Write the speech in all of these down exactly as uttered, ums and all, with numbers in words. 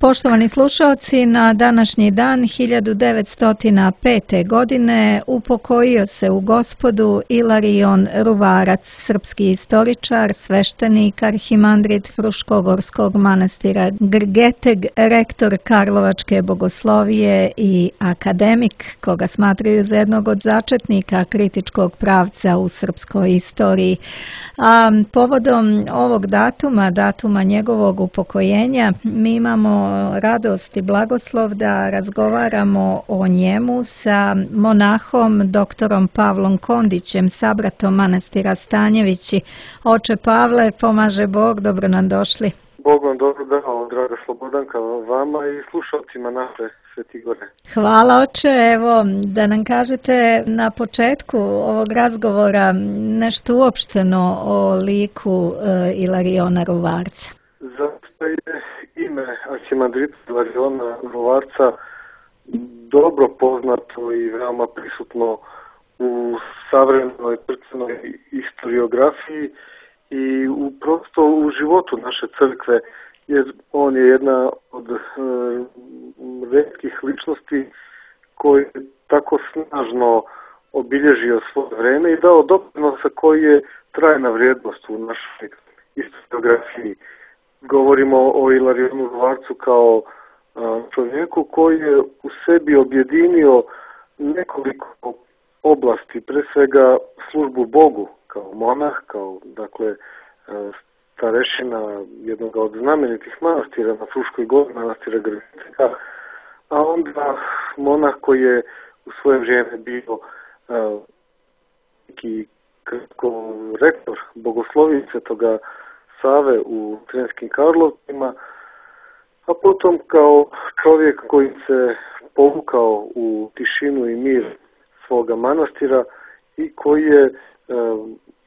Poštovani slušalci, na današnji dan hiljadu devetsto pete. godine upokojio se u Gospodu Ilarion Ruvarac, srpski istoričar, sveštenik, arhimandrit Fruškogorskog manastira Grgeteg, rektor Karlovačke bogoslovije i akademik, koga smatraju za jednog od začetnika kritičkog pravca u srpskoj istoriji. A povodom ovog datuma, datuma njegovog upokojenja, mi imamo radost i blagoslov da razgovaramo o njemu sa monahom doktorom Pavlom Kondićem, sabratom manastira Stanjevići. Oče Pavle, pomaže Bog, dobro nam došli. Bog vam dobro dao, draga Slobodanka, vama i slušalcima naše Svetigore. Hvala, oče. Evo, da nam kažete na početku ovog razgovora nešto uopšteno o liku e, Ilariona Ruvarca. Zato je ime arhimandrita Ilariona Ruvarca dobro poznato i veoma prisutno u savremenoj crkvenoj historiografiji i u, prosto u životu naše crkve, jer on je jedna od e, retkih ličnosti koji je tako snažno obilježio svoje vreme i dao doprinosa koji je trajna vrijednost u našoj historiografiji. Govorimo o Ilarionu Ruvarcu kao a, čovjeku koji je u sebi objedinio nekoliko oblasti, pre svega službu Bogu kao monah, kao dakle starešina jednog od znamenitih manastira na Fruškoj gori, manastira Grgetega, a onda monah koji je u svoje vrijeme bio neki rektor bogoslovice toga Save u Sremskim Karlovcima, a potom kao čovjek koji se povukao u tišinu i mir svoga manastira i koji je e,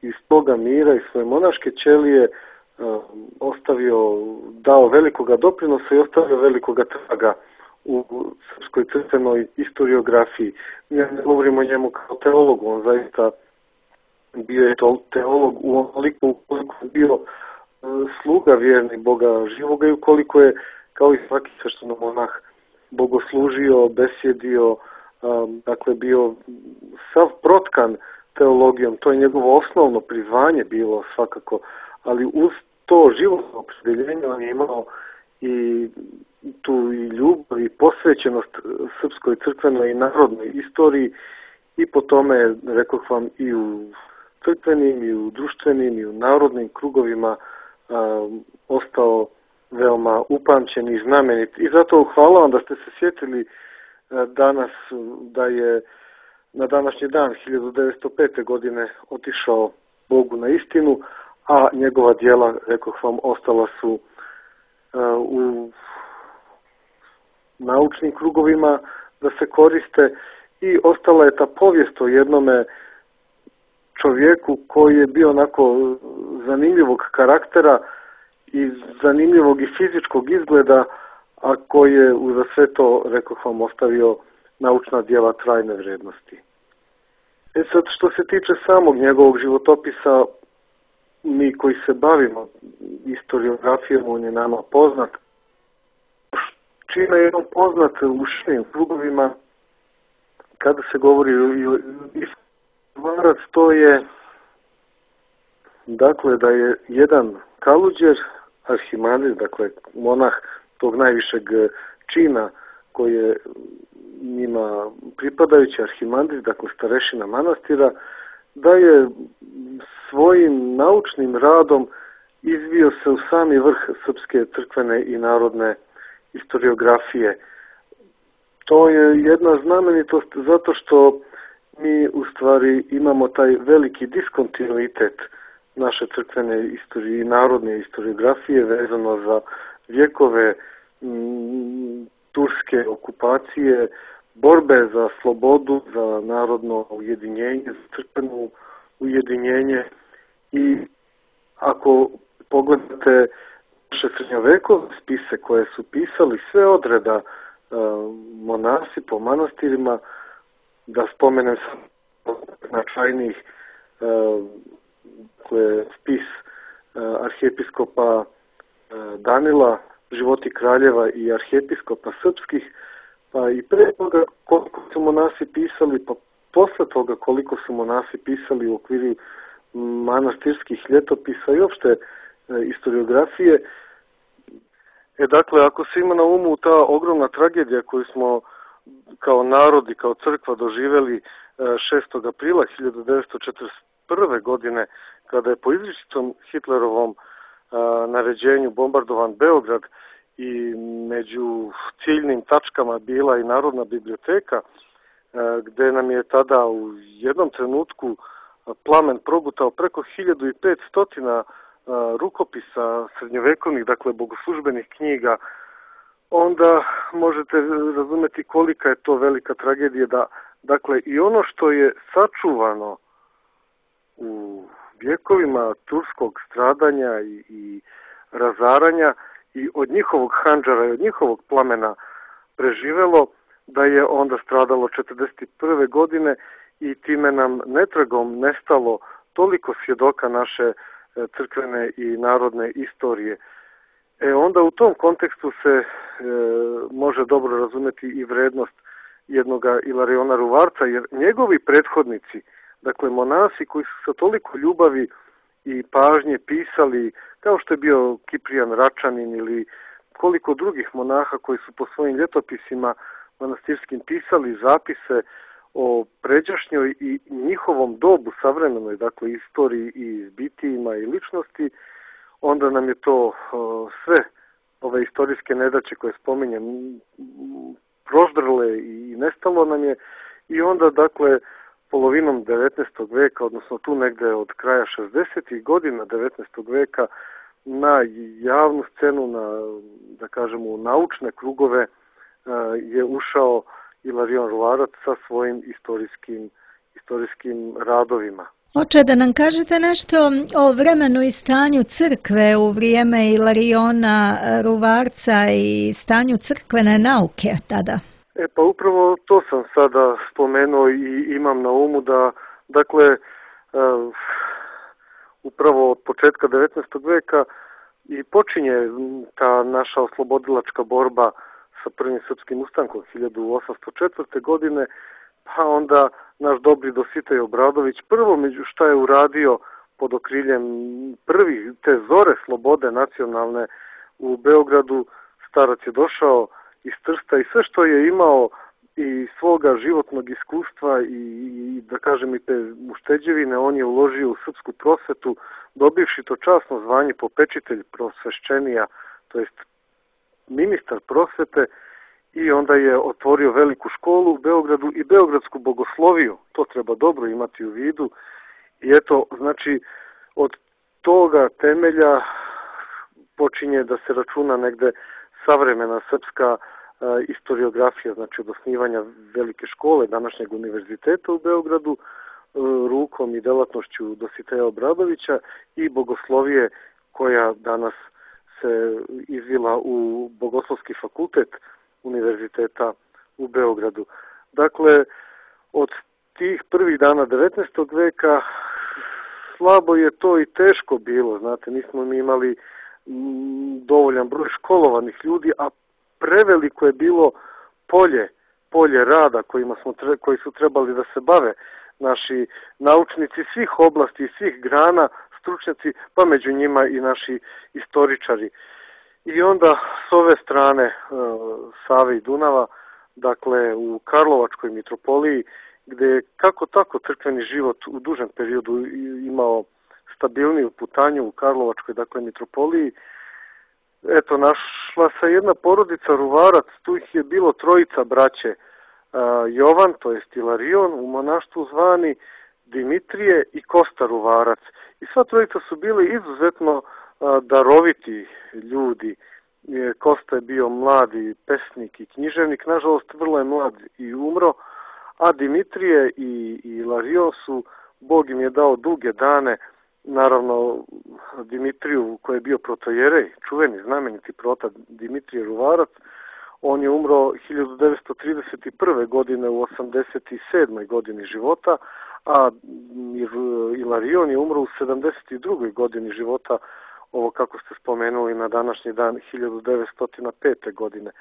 iz toga mira i svoje monaške ćelije e, ostavio, dao velikoga doprinosa i ostavio velikoga traga u srpskoj crkvenoj historiografiji. Ja ne govorimo o njemu kao teologu, on zaista bio je to teolog u onoliko ukoliko je bio e, sluga vjerni Boga živoga i ukoliko je, kao i svaki sveštenomonah, bogoslužio, besjedio, dakle bio sav protkan teologijom, to je njegovo osnovno prizvanje bilo svakako, ali uz to životno opredjeljenje on je imao i tu i ljubav i posvećenost srpskoj crkvenoj i narodnoj istoriji i po tome, rekoh vam, i u crkvenim, i u društvenim, i u narodnim krugovima a, ostao veoma upamćen i znamenit. I zato hvala vam da ste se sjetili danas da je na današnji dan hiljadu devetsto pete. godine otišao Bogu na istinu, a njegova djela, rekoh vam, ostala su uh, u naučnim krugovima da se koriste i ostala je ta povijest o jednome čovjeku koji je bio onako zanimljivog karaktera i zanimljivog i fizičkog izgleda, a koji je uza sve to, rekoh vam, ostavio naučna djela trajne vrijednosti. E sad, što se tiče samog njegovog životopisa, mi koji se bavimo historiografijom, on je nama poznat. Čime je on poznat u širim krugovima, kada se govori o Ruvarac, to je, dakle, da je jedan kaluđer, arhimandrit, dakle, monah tog najvišeg čina koji je njima pripadajući, arhimandrit, dakle starešina manastira, da je svojim naučnim radom izvio se u sami vrh srpske crkvene i narodne historiografije. To je jedna znamenitost zato što mi u stvari imamo taj veliki diskontinuitet naše crkvene istorije i narodne historiografije vezano za vjekove m, turske okupacije, borbe za slobodu, za narodno ujedinjenje, za crkveno ujedinjenje. I ako pogledate naše srednjovekove spise koje su pisali sve odreda uh, monasi po manastirima, da spomenem značajnijih uh, spis uh, arhijepiskopa uh, Danila životi kraljeva i arhijepiskopa srpskih, pa i pre toga koliko su monasi pisali, pa posle toga koliko su monasi pisali u okviru manastirskih ljetopisa i uopšte e, historiografije. E dakle, ako se ima na umu ta ogromna tragedija koju smo kao narod i kao crkva doživjeli šestog aprila hiljadu devetsto četrdeset prve. godine, kada je po izričitom Hitlerovom a, naređenju bombardovan Beograd i među ciljnim tačkama bila i Narodna biblioteka, a, gde nam je tada u jednom trenutku plamen progutao preko hiljadu i petsto rukopisa srednjovekovnih, dakle bogoslužbenih knjiga, onda možete razumeti kolika je to velika tragedija da, dakle, i ono što je sačuvano u vjekovima turskog stradanja i, i razaranja i od njihovog handžara i od njihovog plamena preživelo, da je onda stradalo četrdeset prve. godine i time nam netragom nestalo toliko svjedoka naše crkvene i narodne istorije. E onda u tom kontekstu se e, može dobro razumjeti i vrednost jednoga Ilariona Ruvarca, jer njegovi prethodnici, dakle monasi koji su sa toliko ljubavi i pažnje pisali, kao što je bio Kiprijan Račanin ili koliko drugih monaha koji su po svojim ljetopisima manastirskim pisali zapise o pređašnjoj i njihovom dobu savremenoj, dakle istoriji i zbitijima i ličnosti, onda nam je to o, sve ove istorijske nedaće koje spominjem proždrle i nestalo nam je i onda dakle polovinom devetnaestog veka, odnosno tu negde od kraja šezdesetih godina devetnaestog veka na javnu scenu, na, da kažemo, u naučne krugove je ušao Ilarion Ruvarac sa svojim istorijskim, istorijskim radovima. Oče, da nam kažete nešto o vremenu i stanju crkve u vrijeme Ilariona Ruvarca i stanju crkvene nauke tada? E pa upravo to sam sada spomenuo i imam na umu da, dakle, uh, upravo od početka devetnaestog veka i počinje ta naša oslobodilačka borba sa prvim srpskim ustankom hiljadu osamsto četvrte. godine, pa onda naš dobri Dositej Obradović prvo među šta je uradio pod okriljem prvi te zore slobode nacionalne u Beogradu, starac je došao iz Trsta i sve što je imao i svoga životnog iskustva i, i da kažem i te ušteđevine on je uložio u srpsku prosvetu, dobivši to časno zvanje popečitelj prosvešćenija, to jest ministar prosvete, i onda je otvorio veliku školu u Beogradu i beogradsku bogosloviju, to treba dobro imati u vidu. I eto, znači, od toga temelja počinje da se računa negde savremena srpska e, historiografija, znači od osnivanja velike škole, današnjeg univerziteta u Beogradu, e, rukom i delatnošću Dositeja Obradovića i bogoslovije koja danas se izvila u Bogoslovski fakultet univerziteta u Beogradu. Dakle, od tih prvih dana devetnaestog veka slabo je to i teško bilo, znate, nismo mi imali dovoljan broj školovanih ljudi, a preveliko je bilo polje, polje rada kojima smo, koji su trebali da se bave naši naučnici svih oblasti i svih grana, stručnjaci, pa među njima i naši istoričari. I onda s ove strane e, Save i Dunava, dakle u Karlovačkoj mitropoliji, gde je kako tako crkveni život u dužem periodu imao stabilniju putanju u Karlovačkoj, dakle mitropoliji, eto, našla se jedna porodica Ruvarac, tu ih je bilo trojica braće, e, Jovan, to jest Ilarion, u monaštvu zvani Dimitrije i Kosta Ruvarac. I sva trojica su bili izuzetno daroviti ljudi. Kosta je bio mladi pesnik i književnik, nažalost vrlo je mlad i umro, a Dimitrije i Ilarion su, Bog im je dao duge dane, naravno Dimitriju koji je bio protojerej, čuveni znameniti prota Dimitrije Ruvarac, on je umro hiljadu devetsto trideset prve. godine u osamdeset sedmoj. godini života, a Ilarion je umro u sedamdeset drugoj. godini života ovo kako ste spomenuli na današnji dan hiljadu devetsto pete. godine.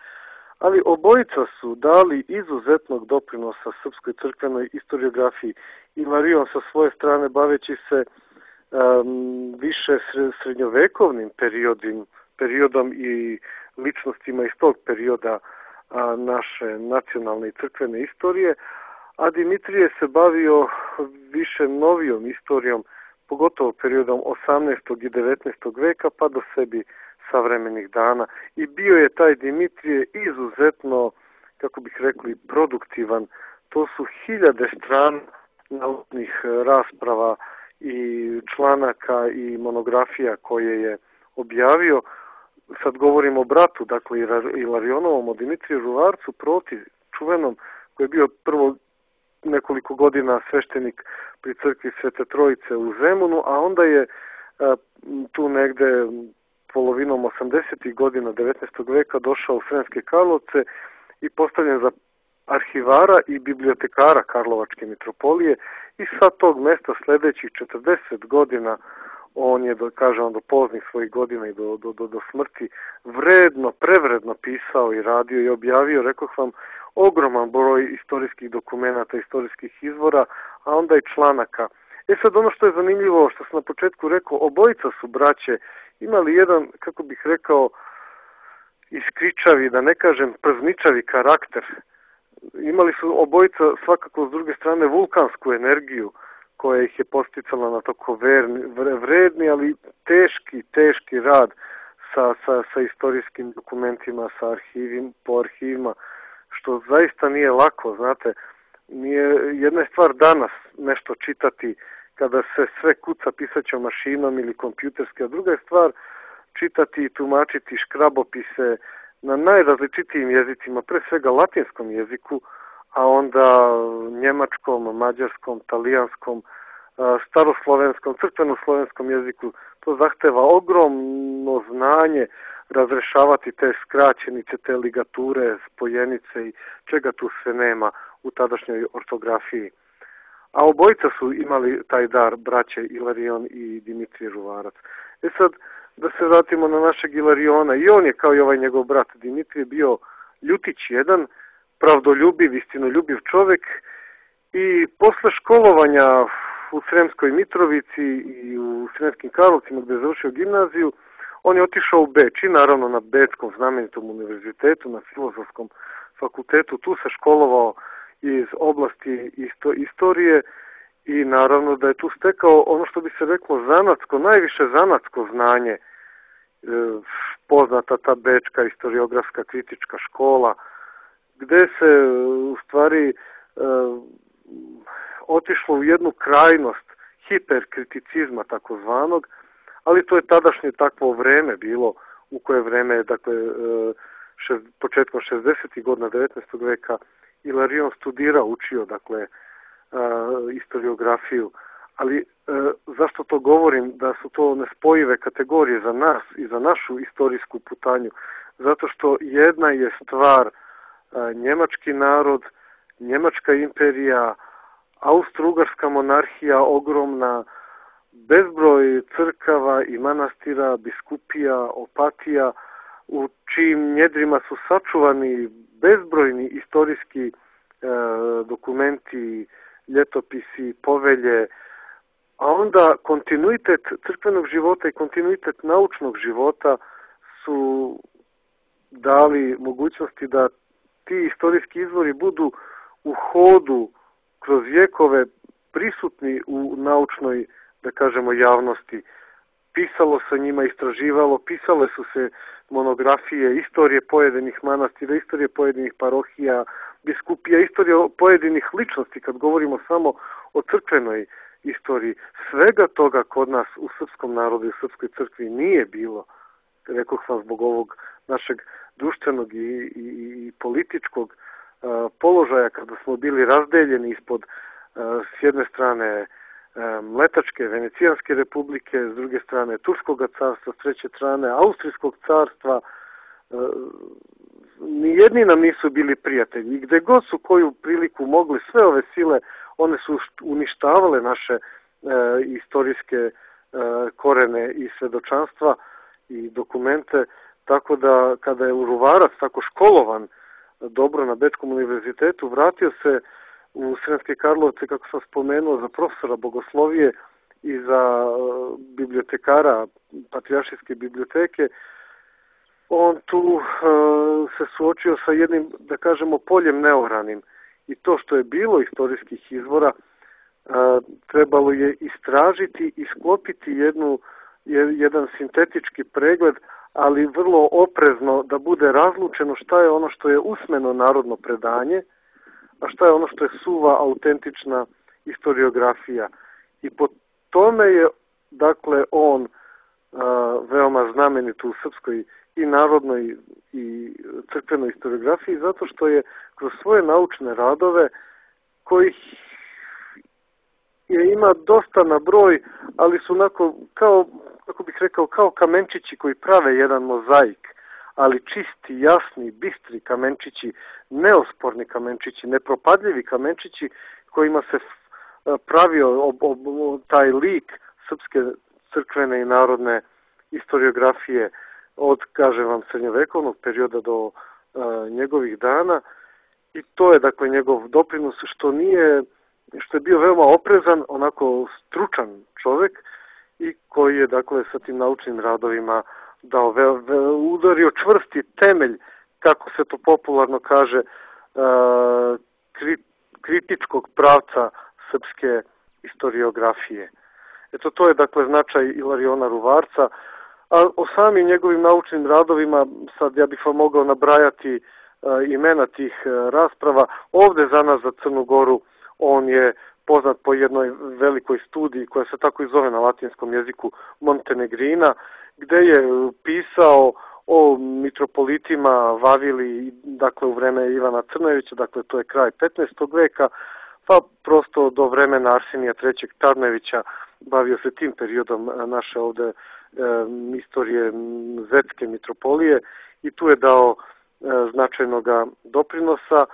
Ali obojica su dali izuzetnog doprinosa srpskoj crkvenoj istoriografiji. Ilarion sa svoje strane baveći se um, više srednjovekovnim periodom, periodom i ličnostima iz tog perioda a, naše nacionalne i crkvene istorije, a Dimitrije se bavio više novijom istorijom, pogotovo periodom osamnaestog i devetnaestog veka pa do sebi savremenih dana. I bio je taj Dimitrije izuzetno, kako bih rekli, produktivan. To su hiljade strana naučnih rasprava i članaka i monografija koje je objavio. Sad govorimo o bratu, dakle Ilarionovom, o Dimitriju Ruvarcu, proti čuvenom, koji je bio prvo nekoliko godina sveštenik pri crkvi Svete Trojice u Zemunu, a onda je a, tu negde polovinom osamdesetih godina devetnaestog veka došao u Sremske Karlovce i postavljen za arhivara i bibliotekara Karlovačke mitropolije i sa tog mesta sledećih četrdeset godina on je, do, kažem, do poznih svojih godina i do, do, do, do smrti vredno, prevredno pisao i radio i objavio, rekoh vam, ogroman broj istorijskih dokumenata, istorijskih izvora, a onda i članaka. E sad ono što je zanimljivo, što sam na početku rekao, obojica su braće imali jedan, kako bih rekao, iskričavi, da ne kažem przničavi karakter. Imali su obojica svakako s druge strane vulkansku energiju koja ih je posticala na tako verni, vredni, ali teški, teški rad sa, sa, sa istorijskim dokumentima, sa arhivim, po arhivima, što zaista nije lako, znate. Nije, jedna je stvar danas nešto čitati kada se sve kuca pisaćom mašinom ili kompjuterski, a druga je stvar čitati i tumačiti škrabopise na najrazličitijim jezicima, pre svega latinskom jeziku, a onda njemačkom, mađarskom, talijanskom, staroslovenskom, crkvenoslovenskom jeziku. To zahteva ogromno znanje razrešavati te skraćenice, te ligature, spojenice i čega tu sve nema u tadašnjoj ortografiji. A obojica su imali taj dar, braće Ilarion i Dimitrije Ruvarac. E sad, da se vratimo na našeg Ilariona, i on je kao i ovaj njegov brat Dimitrije bio ljutić jedan, pravdoljubiv, istinoljubiv čovek i posle školovanja u Sremskoj Mitrovici i u Sremskim Karlovcima gde je završio gimnaziju, on je otišao u Beč i naravno na Bečkom znamenitom univerzitetu, na Filozofskom fakultetu, tu se školovao iz oblasti isto, istorije i naravno da je tu stekao ono što bi se reklo zanatsko, najviše zanatsko znanje, e, poznata ta Bečka istoriografska kritička škola, gde se u stvari e, otišlo u jednu krajnost hiperkriticizma takozvanog, ali to je tadašnje takvo vreme bilo, u koje vreme, dakle, šest, početkom šezdesetih godina devetnaestog veka Ilarion studirao, učio, dakle, istoriografiju. Ali zašto to govorim? Da su to nespojive kategorije za nas i za našu istorijsku putanju. Zato što jedna je stvar njemački narod, njemačka imperija, Austro-Ugarska monarhija ogromna, bezbroj crkava i manastira, biskupija, opatija, u čijim njedrima su sačuvani bezbrojni istorijski e, dokumenti, ljetopisi, povelje, a onda kontinuitet crkvenog života i kontinuitet naučnog života su dali mogućnosti da ti istorijski izvori budu u hodu kroz vjekove prisutni u naučnoj, da kažemo, javnosti. Pisalo se njima, istraživalo, pisale su se monografije, istorije pojedinih manastira, istorije pojedinih parohija, biskupija, istorije pojedinih ličnosti, kad govorimo samo o crkvenoj istoriji. Svega toga kod nas u srpskom narodu i u srpskoj crkvi nije bilo, rekoh vam, zbog ovog našeg društvenog i, i, i političkog a, položaja, kada smo bili razdeljeni ispod a, s jedne strane Mletačke, Venecijanske republike, s druge strane Turskog carstva, s treće strane Austrijskog carstva. Nijedni nam nisu bili prijatelji i gde god su koju priliku mogli, sve ove sile, one su uništavale naše e, istorijske korene i svedočanstva i dokumente, tako da kada je Ruvarac tako školovan dobro na Bečkom univerzitetu, vratio se u Sremske Karlovce, kako sam spomenuo, za profesora bogoslovije i za bibliotekara Patrijaršijske biblioteke, on tu uh, se suočio sa jednim, da kažemo, poljem neoranim. I to što je bilo istorijskih izvora, uh, trebalo je istražiti i sklopiti jednu, jedan sintetički pregled, ali vrlo oprezno da bude razlučeno šta je ono što je usmeno narodno predanje, a šta je ono što je suva, autentična historiografija. I po tome je, dakle, on a, veoma znamenit u srpskoj i narodnoj i crkvenoj historiografiji, zato što je kroz svoje naučne radove, kojih je ima dosta na broj, ali su onako, kao, kako bih rekao, kao kamenčići koji prave jedan mozaik, ali čisti, jasni, bistri kamenčići, neosporni kamenčići, nepropadljivi kamenčići kojima se pravio ob, ob, taj lik srpske crkvene i narodne historiografije od, kažem vam, srednjovekovnog perioda do a, njegovih dana. I to je, dakle, njegov doprinos, što nije, što je bio veoma oprezan, onako stručan čovek i koji je, dakle, sa tim naučnim radovima dao ve, ve, udario čvrsti temelj, kako se to popularno kaže, a, kri, kritičkog pravca srpske historiografije. Eto, to je, dakle, značaj Ilariona Ruvarca, a o samim njegovim naučnim radovima, sad ja bih vam mogao nabrajati a, imena tih a, rasprava. Ovde za nas, za Crnu Goru, on je poznat po jednoj velikoj studiji koja se tako i zove na latinskom jeziku Montenegrina, gde je pisao o mitropolitima Vavili, dakle u vreme Ivana Crnojevića, dakle to je kraj petnaestog veka, pa prosto do vremena Arsenija trećeg Tarnevića bavio se tim periodom naše ovde e, istorije Zetske mitropolije i tu je dao e, značajnog doprinosa.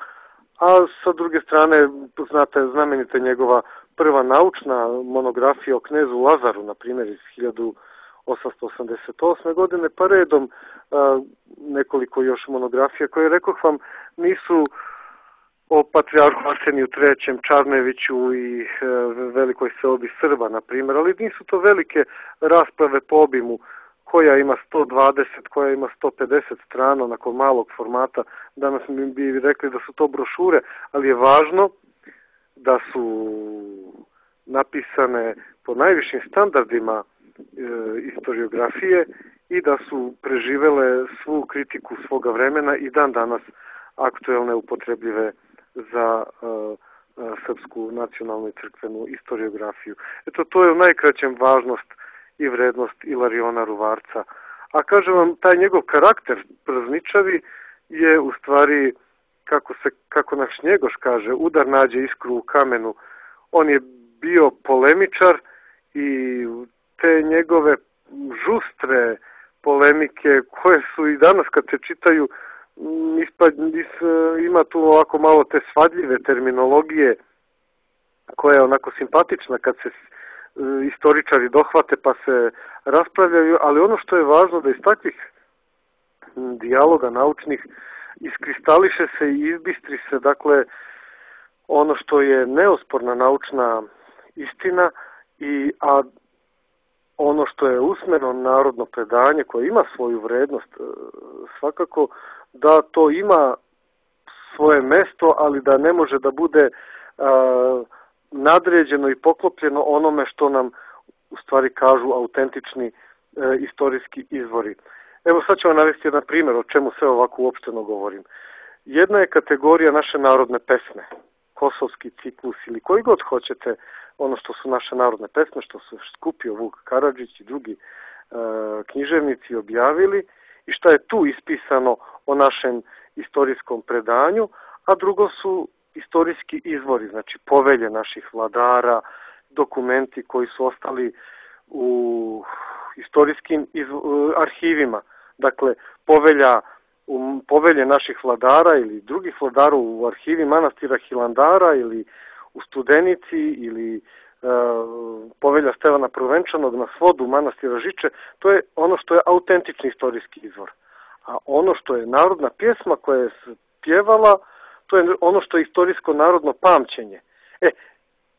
A sa druge strane, znate, znamenita njegova prva naučna monografija o knezu Lazaru, na primjer, iz hiljadu osamsto osamdeset osme. godine, pa redom a, nekoliko još monografija koje, rekoh vam, nisu o patrijarhu Arseniju trećem, Čarneviću i e, velikoj seobi Srba, na primjer, ali nisu to velike rasprave po obimu, koja ima sto dvadeset, koja ima sto pedeset strana, onako malog formata. Danas mi bi rekli da su to brošure, ali je važno da su napisane po najvišim standardima e, historiografije i da su preživele svu kritiku svoga vremena i dan danas aktuelne, upotrebljive za e, e, srpsku nacionalnu i crkvenu historiografiju. Eto, to je u najkraćem važnost i vrednost Ilariona Ruvarca. A kažem vam, taj njegov karakter prazničavi je u stvari, kako se, kako naš Njegoš kaže, udar nađe iskru u kamenu. On je bio polemičar i te njegove žustre polemike, koje su i danas kad se čitaju, ispad, is, ima tu ovako malo te svadljive terminologije, koja je onako simpatična kad se istoričari dohvate pa se raspravljaju, ali ono što je važno da iz takvih dijaloga naučnih iskristališe se i izbistri se, dakle, ono što je neosporna naučna istina, i a ono što je usmeno narodno predanje koje ima svoju vrednost, svakako da to ima svoje mesto, ali da ne može da bude a, nadređeno i poklopljeno onome što nam u stvari kažu autentični e, istorijski izvori. Evo sad ću vam navesti jedan primjer o čemu sve ovako uopšteno govorim. Jedna je kategorija naše narodne pesme, Kosovski ciklus ili koji god hoćete, ono što su naše narodne pesme, što su skupio Vuk Karadžić i drugi e, književnici objavili i šta je tu ispisano o našem istorijskom predanju, a drugo su istorijski izvori, znači povelje naših vladara, dokumenti koji su ostali u istorijskim arhivima. Dakle, povelja, u povelje naših vladara ili drugih vladara u arhivi manastira Hilandara ili u Studenici ili povelja Stevana Prvenčanog na svodu manastira Žiče, to je ono što je autentični istorijski izvor. A ono što je narodna pjesma koja je pjevala, to je ono što je istorijsko narodno pamćenje. E,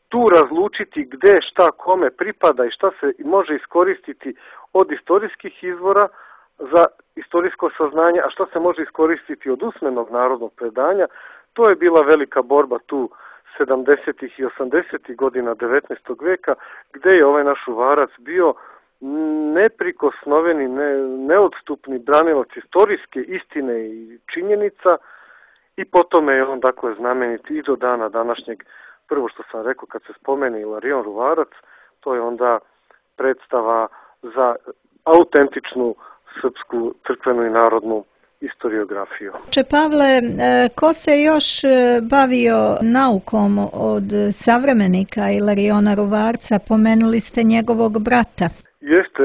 tu razlučiti gde, šta, kome pripada i šta se može iskoristiti od istorijskih izvora za istorijsko saznanje, a šta se može iskoristiti od usmenog narodnog predanja, to je bila velika borba tu sedamdesetih i osamdesetih godina devetnaestog veka, gde je ovaj naš Ruvarac bio neprikosnoveni, ne, neodstupni branilac istorijske istine i činjenica i potom je on dakle znamenit i do dana današnjeg. Prvo što sam rekao, kad se spomene Ilarion Ruvarac, to je onda predstava za autentičnu srpsku crkvenu i narodnu istoriografiju. Če Pavle, ko se još bavio naukom od savremenika Ilariona Ruvarca? Pomenuli ste njegovog brata. Jeste,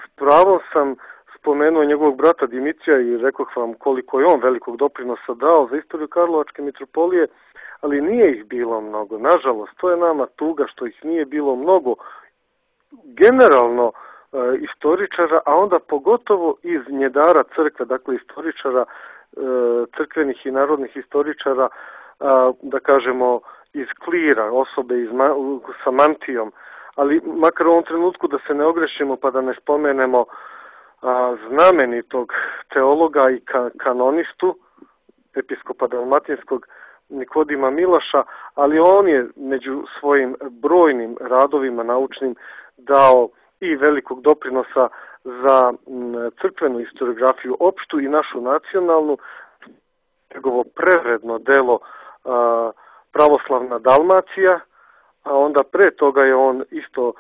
s pravom sam spomenuo njegovog brata Dimitrija i rekao vam koliko je on velikog doprinosa dao za istoriju Karlovačke mitropolije, ali nije ih bilo mnogo. Nažalost, to je nama tuga što ih nije bilo mnogo. Generalno istoričara, a onda pogotovo iz njedara crkve, dakle istoričara, crkvenih i narodnih istoričara, da kažemo iz klira, osobe iz, sa mantijom, ali makar u ovom trenutku da se ne ogrešimo pa da ne spomenemo znamenitog teologa i kanonistu, episkopa dalmatinskog Nikodima Milaša, ali on je među svojim brojnim radovima naučnim dao i velikog doprinosa za crkvenu historiografiju opštu i našu nacionalnu. Njegovo prevredno delo Pravoslavna Dalmacija, a onda pre toga je on isto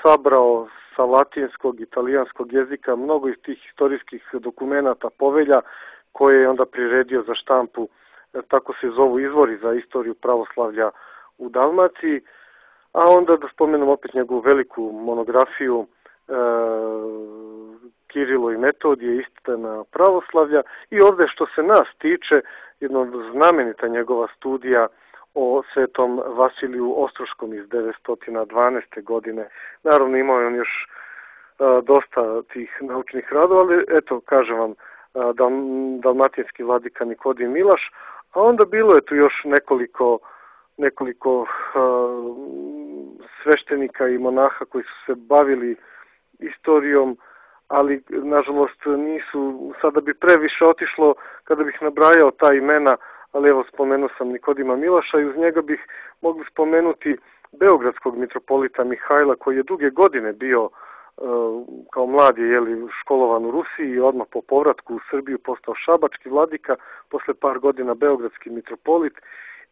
sabrao sa latinskog, italijanskog jezika mnogo iz tih historijskih dokumenata, povelja, koje je onda priredio za štampu, tako se zovu izvori za istoriju pravoslavlja u Dalmaciji. A onda da spomenem opet njegovu veliku monografiju e, Kirilo i Metodije, istina pravoslavlja, i ovde što se nas tiče, jedna znamenita njegova studija o svetom Vasiliju Ostroškom iz devetsto dvanaeste. godine. Naravno imao je on još e, dosta tih naučnih radova, ali eto, kažem vam, dal, dalmatinski vladika Nikodim Milaš, a onda bilo je tu još nekoliko nekoliko uh, sveštenika i monaha koji su se bavili istorijom, ali nažalost nisu, sada bi previše otišlo kada bih nabrajao ta imena, ali evo spomenuo sam Nikodima Milaša i uz njega bih mogli spomenuti beogradskog mitropolita Mihajla, koji je duge godine bio uh, kao mlad je jeli, školovan u Rusiji i odmah po povratku u Srbiju postao šabački vladika, posle par godina beogradski mitropolit.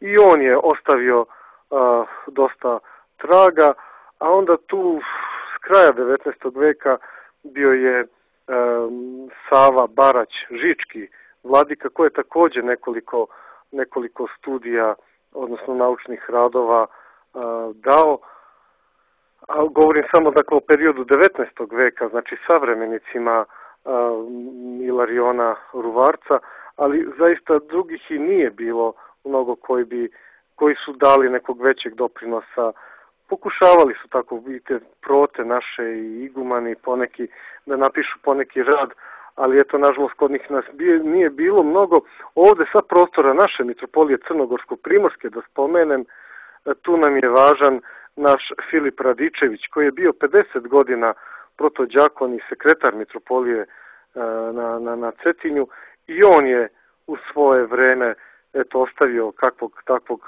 I on je ostavio a, dosta traga, a onda tu s kraja devetnaestog veka bio je a, Sava Barać Žički vladika, koji je također nekoliko, nekoliko studija, odnosno naučnih radova a, dao. A govorim samo dakle o periodu devetnaestog veka, znači savremenicima a, Ilariona Ruvarca, ali zaista drugih i nije bilo mnogo koji bi, koji su dali nekog većeg doprinosa. Pokušavali su tako, vidite, prote naše i igumani poneki da napišu poneki rad, ali eto, nažalost, kod njih nas nije bilo mnogo. Ovde sa prostora naše mitropolije Crnogorsko-Primorske, da spomenem, tu nam je važan naš Filip Radičević, koji je bio pedeset godina protođakon i sekretar mitropolije na, na, na Cetinju, i on je u svoje vreme eto, ostavio kakvog takvog,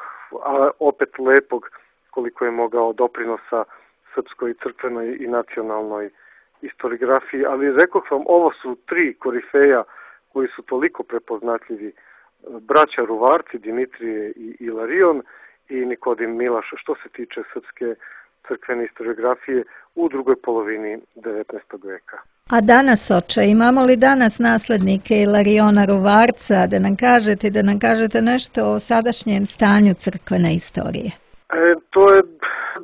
a opet lepog, koliko je mogao doprinosa srpskoj i crkvenoj i nacionalnoj historiografiji. Ali rekoh vam, ovo su tri korifeja koji su toliko prepoznatljivi: braća Ruvarci, Dimitrije i Ilarion i Nikodim Milaš, što se tiče srpske crkvene historiografije u drugoj polovini devetnaestog veka. A danas, oče, imamo li danas naslednike Ilariona Ruvarca, da nam kažete, da nam kažete nešto o sadašnjem stanju crkvene istorije? E, to je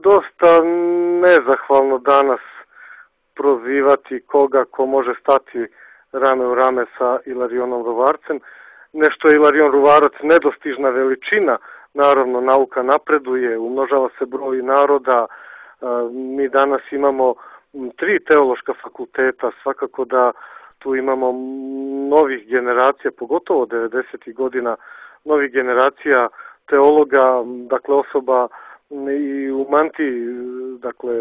dosta nezahvalno danas prozivati koga ko može stati rame u rame sa Ilarionom Ruvarcem. Nešto je Ilarion Ruvarac nedostižna veličina, naravno nauka napreduje, umnožava se broj naroda, mi danas imamo tri teološka fakulteta, svakako da tu imamo novih generacija, pogotovo devedesetih godina, novih generacija teologa, dakle osoba i u mantiji, dakle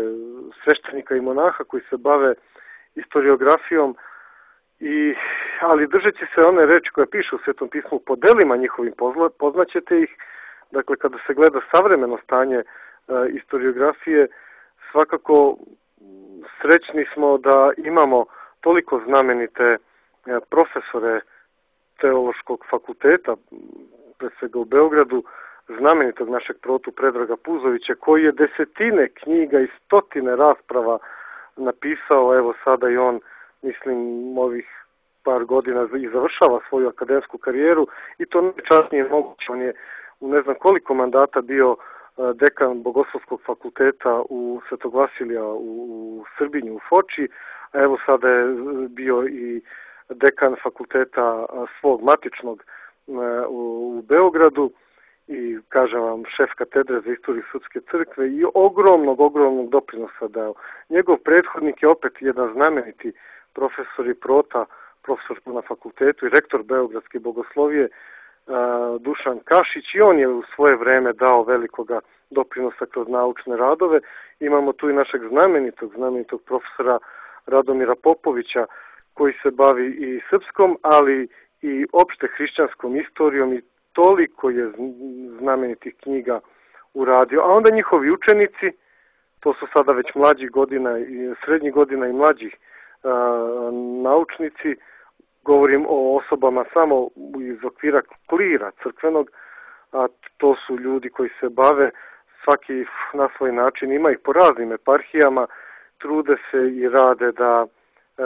sveštenika i monaha koji se bave historiografijom, i, ali držeći se one reči koje pišu u Svetom pismu, po delima njihovim poznaćete ih. Dakle, kada se gleda savremeno stanje e, historiografije, svakako srećni smo da imamo toliko znamenite e, profesore teološkog fakulteta, pre svega u Beogradu, znamenitog našeg protu Predraga Puzovića, koji je desetine knjiga i stotine rasprava napisao. Evo sada i on, mislim, ovih par godina i završava svoju akademsku karijeru, i to najčasnije moguće. On je u ne znam koliko mandata bio dekan Bogoslovskog fakulteta u Svetog Vasilija u Srbinju, u Foči, a evo sada je bio i dekan fakulteta svog matičnog u Beogradu i, kažem vam, šef katedre za istoriju srpske crkve, i ogromnog, ogromnog doprinosa dao. Njegov prethodnik je opet jedan znameniti profesor i prota, profesor na fakultetu i rektor Beogradske bogoslovije, Dušan Kašić, i on je u svoje vreme dao velikoga doprinosa kroz naučne radove. Imamo tu i našeg znamenitog, znamenitog profesora Radomira Popovića, koji se bavi i srpskom, ali i opšte hrišćanskom istorijom, i toliko je znamenitih knjiga uradio. A onda njihovi učenici, to su sada već mlađih godina, i srednjih godina i mlađih a, naučnici, govorim o osobama samo iz okvira klira crkvenog, a to su ljudi koji se bave svaki na svoj način, ima ih po raznim eparhijama, trude se i rade da e,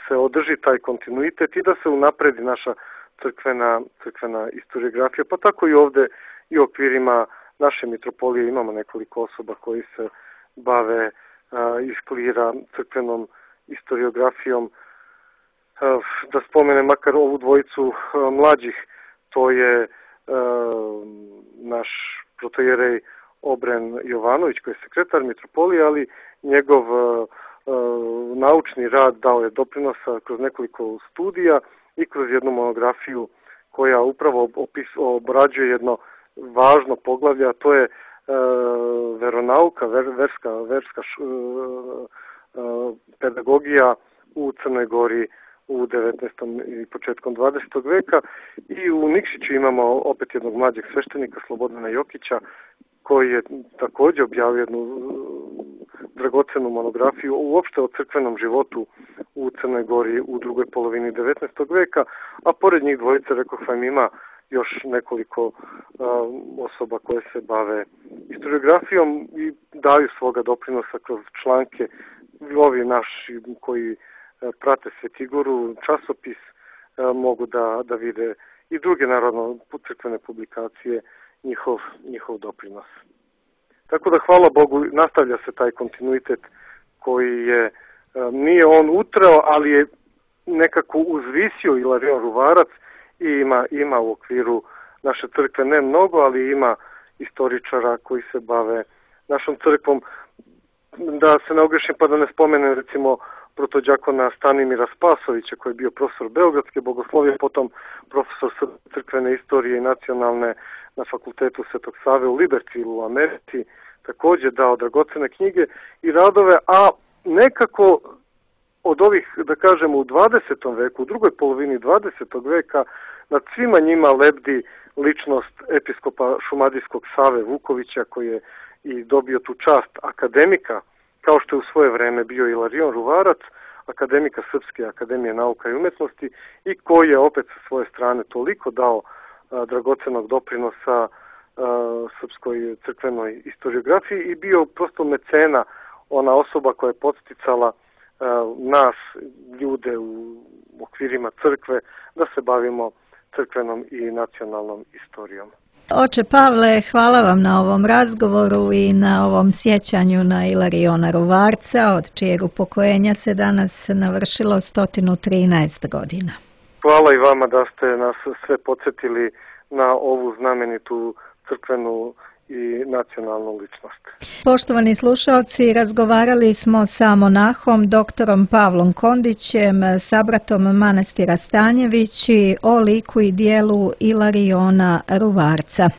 se održi taj kontinuitet i da se unapredi naša crkvena, crkvena historiografija, pa tako i ovde i u okvirima naše mitropolije imamo nekoliko osoba koji se bave a, iz klira crkvenom historiografijom. A, da spomenem makar ovu dvojicu a, mlađih, to je a, naš protojerej Obren Jovanović, koji je sekretar mitropolije, ali njegov a, a, naučni rad dao je doprinosa kroz nekoliko studija i kroz jednu monografiju koja upravo opis, obrađuje jedno važno poglavlje, a to je e, veronauka, ver, verska, verska š, e, pedagogija u Crnoj Gori u devetnaestom i početkom dvadesetog veka. I u Nikšiću imamo opet jednog mlađeg sveštenika, Slobodana Jokića, koji je također objavio jednu dragocenu monografiju uopšte o crkvenom životu u Crnoj Gori u drugoj polovini devetnaestog veka, a pored njih dvojice, rekoh vam, ima još nekoliko uh, osoba koje se bave historiografijom i daju svoga doprinosa kroz članke. Ovi naši koji uh, prate Svetigoru, časopis, uh, mogu da, da vide i druge, naravno, crkvene publikacije, njihov, njihov doprinos. Tako da, hvala Bogu, nastavlja se taj kontinuitet koji je, nije on utrao, ali je nekako uzvisio Ilarion Ruvarac i ima, ima u okviru naše crkve ne mnogo, ali ima istoričara koji se bave našom crkvom. Da se ne ogrešim pa da ne spomenem, recimo, protođakona Stanimira Spasovića, koji je bio profesor Beogradske bogoslovije, potom profesor crkvene istorije i nacionalne na fakultetu Svetog Save u Libertilu u Americi, također dao dragocene knjige i radove, a nekako od ovih, da kažemo, u dvadesetom veku, u drugoj polovini dvadesetog veka, nad svima njima lebdi ličnost episkopa šumadijskog Save Vukovića, koji je i dobio tu čast akademika, kao što je u svoje vreme bio Ilarion Ruvarac, akademika Srpske akademije nauka i umetnosti, i koji je opet sa svoje strane toliko dao a, dragocenog doprinosa a, srpskoj crkvenoj historiografiji i bio prosto mecena, ona osoba koja je podsticala a, nas, ljude u okvirima crkve, da se bavimo crkvenom i nacionalnom istorijom. Oče Pavle, hvala vam na ovom razgovoru i na ovom sjećanju na Ilariona Ruvarca, od čijeg upokojenja se danas navršilo sto trinaest godina. Hvala i vama da ste nas sve podsjetili na ovu znamenitu crkvenu i nacionalnu ličnost. Poštovani slušalci, razgovarali smo sa monahom doktorom Pavlom Kondićem, sabratom manastira Stanjevići, o liku i dijelu Ilariona Ruvarca.